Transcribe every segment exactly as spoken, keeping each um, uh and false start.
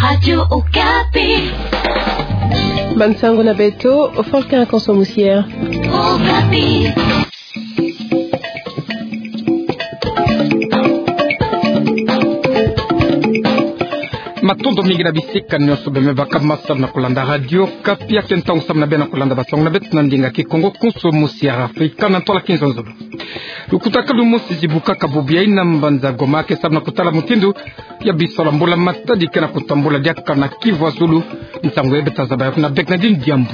Radio Okapi. Bansango na beto, Faustin Konso Musier. Okapi. Matondo mingi na bisika nyonso bima baka ma samu na kulanda Radio Okapi, ya ke ntangu samu na beno kulanda bansango na beto na ndinga Kikongo. Konso Musier Afrika na ntwala kinzonzolo. Lukutakanu mosi zibukaka bubu yayi na mbanza Goma, ke samu na kutala mutindu ya bisalu ya mbula matadi ke na kutambula diaka na Kivu ya Zulu. Nsangu yayi beta zaba yawu na Bernardine Diambu.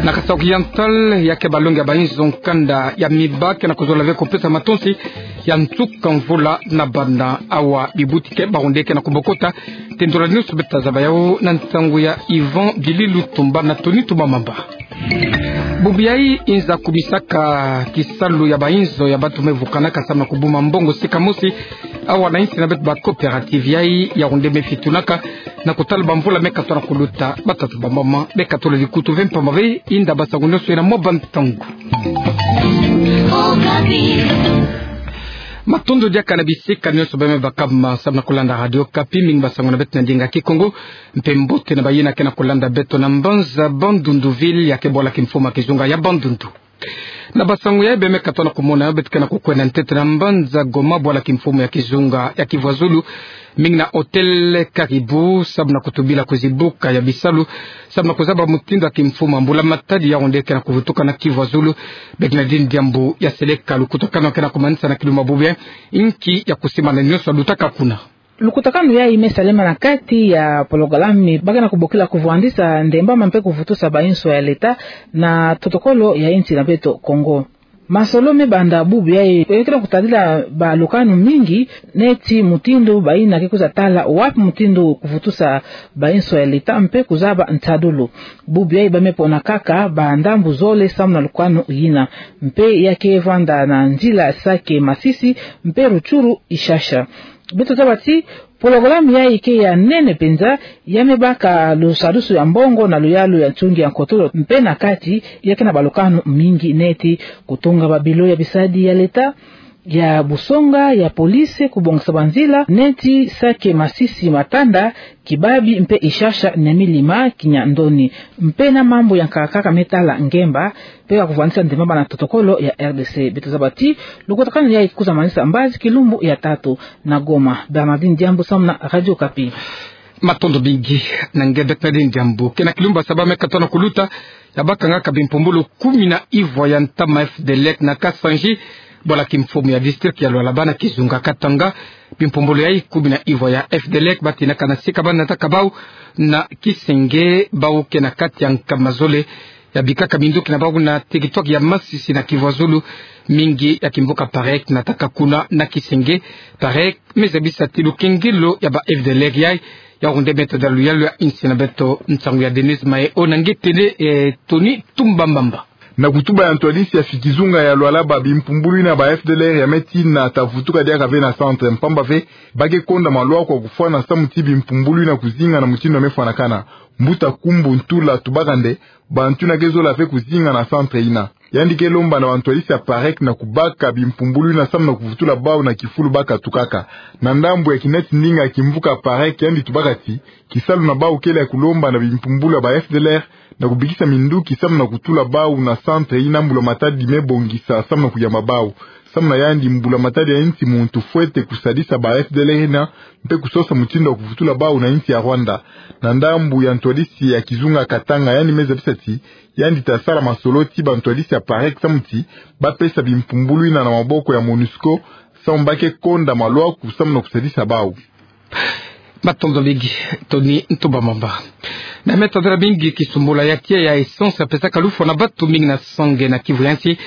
Na Kasaï Oriental, ya ke balongi ya bainzo nkanda ya mibâ ke na kuzola ve kupesa matonsi ya nsuka mvula na bana awa bibuti ke baronde ke na kubokota. Tendula nyonso beta zaba yawu na nsangu ya Yvan Dili Lutumba na Tony Tumba Mamba. Bubu yayi inza kumisaka kisalu ya bainzo ya bantu me vukanaka samu na kubuma mbongo sika mosi awa na insi na beto. Ba coopérative yayi ya ronde me fitunaka na kutala bamvula me katola kuluta. Batata bamama, beka tolo likutu ve mpamba ve inda bansangu nyonso yayi na mwa bantangu. Matondo diaka na bisika nyonso bima baka ma samu na kulanda Radio Okapi, mingi bansangu na beto na ndinga Kikongo. Mpe mbote na bayina ke na kulanda beto na mbanza Bandundu ville, ya ke bwala kimfumu ya kizunga ya Bandundu. Na bansangu yayi bima katola kumona, beto ke na kukwenda ntete na mbanza Goma, bwala kimfumu ya kizunga ya Kivu ya Zulu, mingi na hôtel Caribou, samu na kutubila kuzibuka ya bisalu samu na kuzaba mutindu ya kimfumu ya mbula matadi ya ronde ke na kuvutuka na Kivu ya Zulu. Bernardine Diambu ya seleka lukutakanu ke na kumanisa na kilumbu ya bubu yayi. Inki ya kusimbana nyonso yalutaka kuna? Lukutakanu yayi me salama na kati ya pologalami ba ke na kubokila kuvwandisa ndembama mpe kuvutusa bainzo ya leta na totokolo ya insi na beto Kongo. Masolo me banda bubu yayi, e, ke na kutadila balukanu mingi, neti mutindu bayina ke kwiza tala wapi mutindu kuvutusa bainzo ya leta mpe kuzaba nsadulu. Bubu yayi ba me pona kaka bandambu zole samu na lukanu yina. Mpe ya ke vwanda na nzila Sake Masisi, mpe Rutshuru Ishasha. Beto zaba ti pologalami yayi ke ya nene penza, ya me baka lusadusu ya mbongo na luyalu ya nsungi ya nkotolo, mpe na kati ya ke na balukanu mingi neti kutunga babilo ya bisadi ya leta, ya busonga, ya police, kubongisa banzila neti Sake Masisi Matanda, Kibabi mpe Ishasha Nyamilima Kinyandoni. Mpe na mambu ya nkaka ka me tala ngemba, mpe ya kuvwandisa ndembama na totokolo ya R D C. Beto zaba ti lukutakanu yayi ke kwiza manisa mbazi kilumbu ya tatu. Na Goma, Bernardine Diambu samu na Radio Okapi. Matondo mingi na nge Bernardine Diambu. Ke na kilumbu ya saba me katola kuluta, ya bakangaka bimpumbulu kumi na ivwa ya ntama F D L E na Kasanji, bwala kimfumu ya district ya Lualaba na kizunga Katanga. Bimpumbulu yayi kumi na ivwa ya F D L E batinaka na sika ba nataka bawu na Kisenge, bawu ke na kati ya nkama zole ya bikaka minduki na bawu na territoire ya Masisi na Kivu ya Zulu. Mingi ya kimvuka Parek nataka kuna na Kisenge. Parek me zabisa ti lukengelo ya ba F D L E yayi ya ronde me toda luyalu ya insi na beto. Nsangu ya Denise Mahe-o na nge tene, eh, Tony Tumba Mamba. Na kutuba ya ntwadisi ya fi kizunga ya Lualaba, bimpumbulu yina ba F D L E ya me tina ta vutuka diaka ve na centre, mpamba ve ba ke konda malwa kwa kufwana samu ti bimpumbulu yina kuzinga na mutindu ya me fwanakana. Mbuta Kumbu Ntula Tubakande, bantu yina ke zola ve kuzinga na centre yina. Yandi ke lomba na bantwadisi ya Parek na kubaka bimpumbulu yina samu na kuvutula bawu na kifulu ba katukaka. Na ndambu ya kineti ndinga kimvuka Parek, yandi tubaka ti kisalu na bawu kele ya kulomba na bimpumbulu ya ba F D L E na kubikisa minduki samu na kutula bawu na centre yina mbula matadi me bongisa samu na kuyamba bawu. Samu na yandi, mbula matadi ya insi muntu fwete kusadisa ba F D L E yina mpe kusosa mutindu ya kuvutula bawu na insi ya Rwanda. Na ndambu ya ntwadisi ya kizunga Katanga, yandi me zabisa ti yandi ta sala masolo ti bantwadisi ya Parek samu ti ba pesa bimpumbulu yina na maboko ya MONUSCO, samu ba ke konda malwa ku samu na kusadisa bawu. Matondo mingi, Tony Tumba Mamba. Na me tadila mingi kisumbula ya tiya ya essence ya pesaka lufwa na batu mingi na sange na Kivu ya nsi.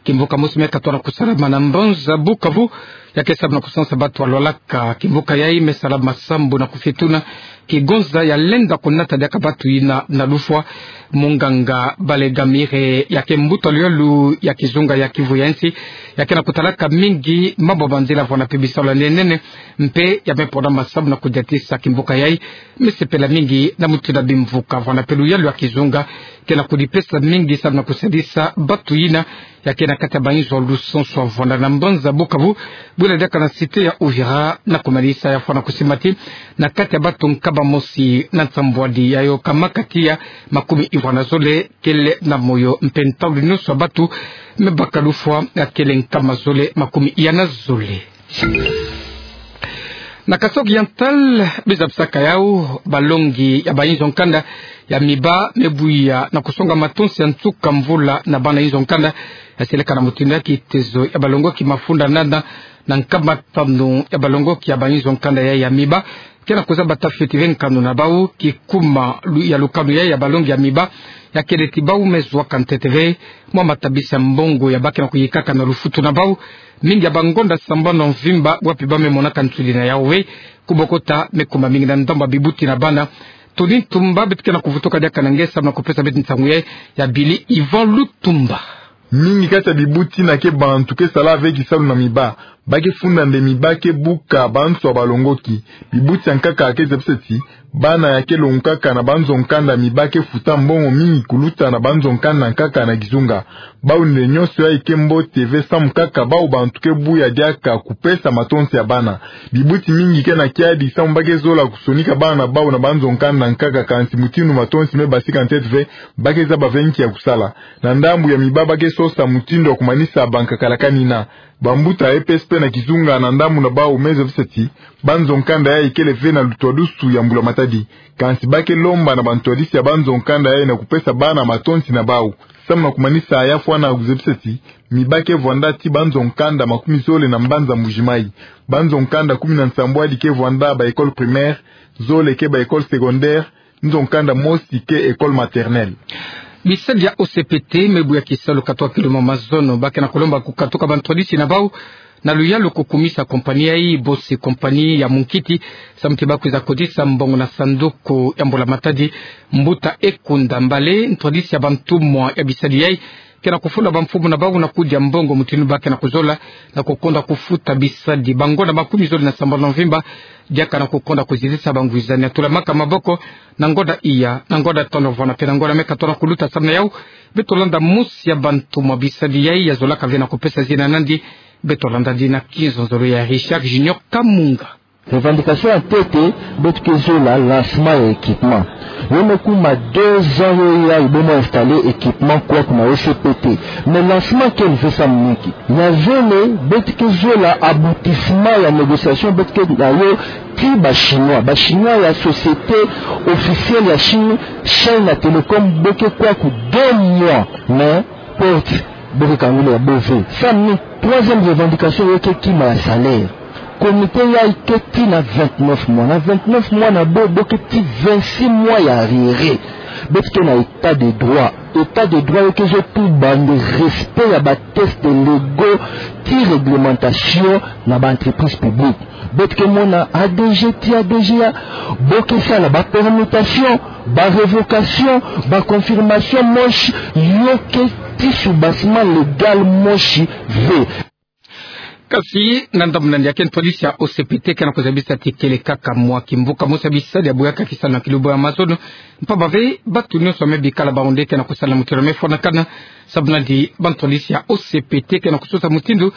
Kimvuka mosi me katola kusalama na mbanza Bukavu, ya ke samu na kusansa batu ya lwalaka. Kimvuka yayi me salama sambu na kufituna kigonza ya lenda kunata diaka batu yina na lufwa. Munganga Balegamire, ya ke mbuta luyalu ya kizunga ya Kivu ya nsi, ya ke na kutalaka mingi mambu ya banzila vwanda mpe bisalu ya nene nene, mpe ya me pona masambu na kudiatisa kimvuka yayi. Me sepela mingi na mutindu ya bimvuka vwanda mpe luyalu ya kizunga ke na kudipesa mingi samu na kusadisa batu yina, ya ke na kati ya bainzo lusansu avwanda na mbanza Bukavu, bwila diaka na cité ya Uvira, na kumanisa ya fwana kusimbati na kati ya bato nkama mosi na nsambwadi ya yoka makati ya makumi ivwa na zole kele na moyo, mpe ntangu nyonso ya bato me baka lufwa ya kele nkama zole makumi iya na zole. Na Kasaï Oriental, biza bisaka yau, balongi ya bainzo nkanda ya miba me buya na kusonga matonsi ya nsuka mvula na bana inzo nkanda ya seleka na mutindu ya kitezo ya balongoki mafunda nana na nkama tanu ya balongoki ya bainzo nkanda ya, ya miba ke na kuzaba ta fioti ve nkanu na bau, kikuma lu-, ya lukanu ya, ya balongi ya miba ya kele ti bau me zwa ka ntete ve mwa matabisi ya mbongo ya ba ke na kuyikaka na lufutu na bau. Mingi ya bangonda sambanu mvimba wapi ba me monaka nsudi na yau ve, kubokota me kuma mingi na ndambu ya bibuti na bana. Tony Ntumba, beto ke na kuvutuka diaka na nge samu na kupesa beto nsangu ya, ya bili Yvan Lutumba. Mingi kati ya bibuti na ke bantu ke sala ve kisalu na miba, ba ke funda nde miba ke buka bantu ya balongoki. Bibuti ya nkaka ke zebisa ti bana ya ke longukaka na banzo nkanda miba ke futa mbongo mingi kuluta na banzo nkanda nkaka na kizunga. Bau nde nyonso ya ike mbote ve samu kaka bau bantu ke buya diaka kupesa matonsi ya bana. Bibuti mingi ke na kiadi samu ba ke zola kusonika bana bau na banzo nkanda nkaka, kansi mutindu matonsi me basika ntete ve, ba ke zaba ve nki ya kusala. Na ndambu ya miba ba ke sosa mutindu ya kumanisa bankakala kanina. Bambuta ya E P S P na kizunga na ndambu na bau me zebisa ti banzo nkanda ya ikele ve na lutwadusu ya mbula matadi. Kansi ba ke lomba na bantwadisi ya banzo nkanda ya na kupesa bana matonsi na bau. Samu na kumanisa ya fwana kuzebisa ti miba ke vwanda ti banzo nkanda makumi zole na mbanza Mbuji-Mayi. Banzo nkanda kumi na nsambwadi ke vwanda ba école primaire, zole ke ba école secondaire, nzo nkanda mosi ke école maternelle. Bisadi ya O C P T me buya kisalu katuka kilumbu mazono, ba ke na kulomba kukatuka bantwadisi na bau na luyalu kukumisa kompani ya i bosi kompani ya munkiti, samu ti ba kwiza kotisa mbongo na sanduku ya mbula matadi. Mbuta Ekunda Mbale, ntwadisi ya bantumwa ya bisadi ya i, ke na kufula bamfumu na bau na kudia mbongo mutindu ba ke na kuzola na kukonda kufuta bisadi. Bangonda makumi zole na sambanu mvimba diaka na kukonda kuzitisa bangwizani ya tulamaka maboko na ngonda iya, na ngonda tono vwana mpe na ngonda me katona kuluta. Samu na yau, beto landa mosi ya bantumwa bisadi ya i ya zolaka ve na kupesa zina nandi. Beto landa di na kinzonzolo ya Richard Junior Kamunga. Revendication ya ntete, beto ke zola lancement ya équipement. Yo me kuma deux ans yo ya i bo mo installer équipement kwaku na O C P T. Mais lancement kele ve samu na nki? Ya zole, beto ke zola aboutissement ya négociation beto ke na yo ti ba Chinois. Ba Chinois ya société officielle ya Chine, China Telecom, bo ke kwaku deux mois. Mais porte bo ke kangula ya bo ve. Samu na nki? Troisième revendication yo ke kima ya salaire. Comité ya i ke ti na vingt-neuf mois. Na vingt-neuf mois na bo, bo ke ti vingt-six mois ya arriéré. Beto ke na état de droit. État de droit yo ke zo tuba nde respect ya ba textes légaux ti réglementation na ba entreprises publiques. Beto ke mona A D G ti A D G ya, bo ke sala ba permutation, ba révocation, ba confirmation mosi, yo ke ti soubassement légal mosi ve. Kasi na ndambu nandi ya ke ntwadisi ya O C P T ke na kuzabisa ti kele kaka mwa kimbuka mosi ya bisadi ya buyaka kisalu na kilumbu ya mazono. Mpamba ve, bato nyonso ya me bikala bau nde ke na kusala mutindu ya me fwanakana. Samu nandi bantwadisi ya O C P T ke na kusosa mutindu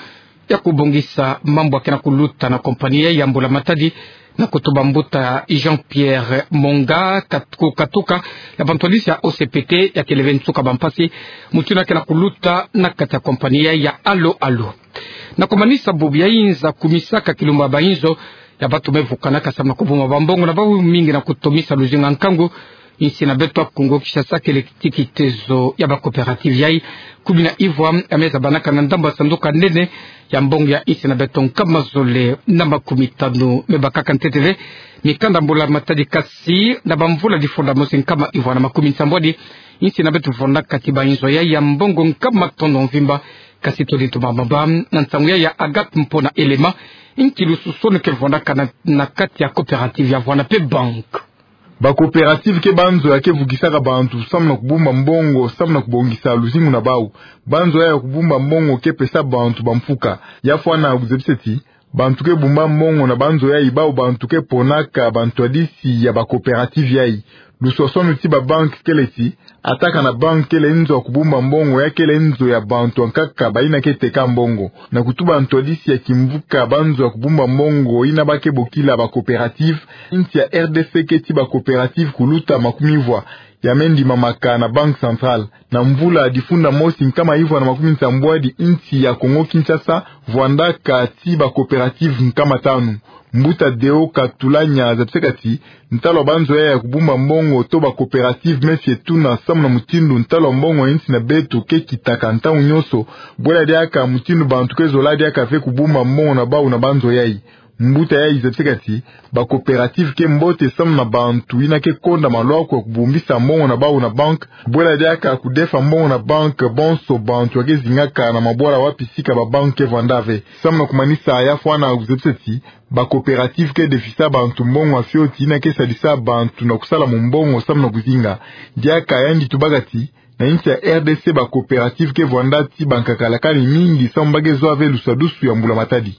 ya kubongisa mambu ya ke na kuluta na kompani ya i ya mbula matadi. Na kutuba mbuta Jean-Pierre Monga, kat-, kukatuka ya bantwadisi ya O C P T ya kele ve nsuka bampasi mutindu ya ke na kuluta na kati ya kompani ya i ya Alo Alo. Na kumanisa bubu ya inza kumisaka kilumbu ya bainzo ya bato me vukanaka samu na kubumba bambongo na bau, mingi na kutomisa luzingu ya nkangu. Insi na beto ya Kongo Kinshasa kele ti kitezo ya ba coopératives ya i kumi na ivwa ya me zabanaka na ndambu ya sanduku ya nene ya mbongo ya insi na beto nkama zole na makumi tanu. Me bakaka ntete ve mikanda mbula matadi, kasi na bamvula difunda mosi nkama ivwa na makumi nsambwadi, insi na beto vwandaka ti bainzo ya i ya mbongo nkama tono mvimba. Kasi todi tumamaba na nsangu ya i ya Agathe Mpona Elema, nki lususoni ke vwandaka na, na kati ya coopérative ya vwana mpe banque. Ba coopérative ke banzo ya ke vukisaka bantu samu na kubumba mbongo, samu na kubongisa luzingu na bau. Banzo ya ya kubumba mbongo ke pesa bantu bamfuka. Ya fwana kuzebisa ti Bantu ke bumba mbongo na banzo yayi bau bantu ke ponaka bantwadisi ya ba coopérative yayi. Lusosono ti ba banque kele ti, ataka na banque kele nzo ya kubumba mbongo, ya kele nzo ya bantu ankaka bayina ke teka mbongo. Na kutuba ntwadisi ya kimvuka banzo ya kubumba mbongo yina ba ke bokila ba coopérative, insi ya R D C keti ba coopérative kuluta makumi vwa, ya me ndimamaka na Banque Centrale. Na mvula difunda mosi nkama ivwa na makumi nsambwadi, insi ya Congo Kinshasa vwandaka ti ba coopérative nkama tanu. Mbuta Deo Katulanya azabisekati, ntalo wa banzo yayi ya kubumba mbongo to ba coopérative me fie tuna samu na mutindu ntalo wa mbongo ya insi na beto ke kitaka ntangu nyonso, bwela diaka mutindu bantu ke zola diaka ve kubumba mbongo na bau na banzo yayi. Mbuta yayi zabisekati, ba coopérative ke mbote samu na bantu yina ke konda malwaku ya kubumbisa mbongo na bau na banque, bwela diaka kudefa mbongo na banque bonso bantu ya ke zingaka na mabwala wapi sika ba banque ke vwanda ve. Samu na kumanisa, ya fwana kuzabisati, ba coopérative ke defisa bantu mbongo ya fioti yina ke sadisa bantu na kusala mumbongo samu na kuzinga. Diaka yandi tubakati, na insi ya R D C ba coopérative ke vwanda ti bankaka lakani mingi samu ba ke zwa ve lusadusu ya mbula matadi.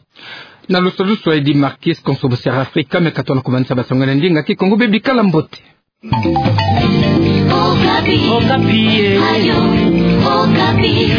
Na lusadusu ya Eddy Marquis, konso Bosera Afrika, me kato na kumanisa ba sango na ndinga Kikongo, bebi kala mbote. Okapi. Okapi, eh. Radio Okapi.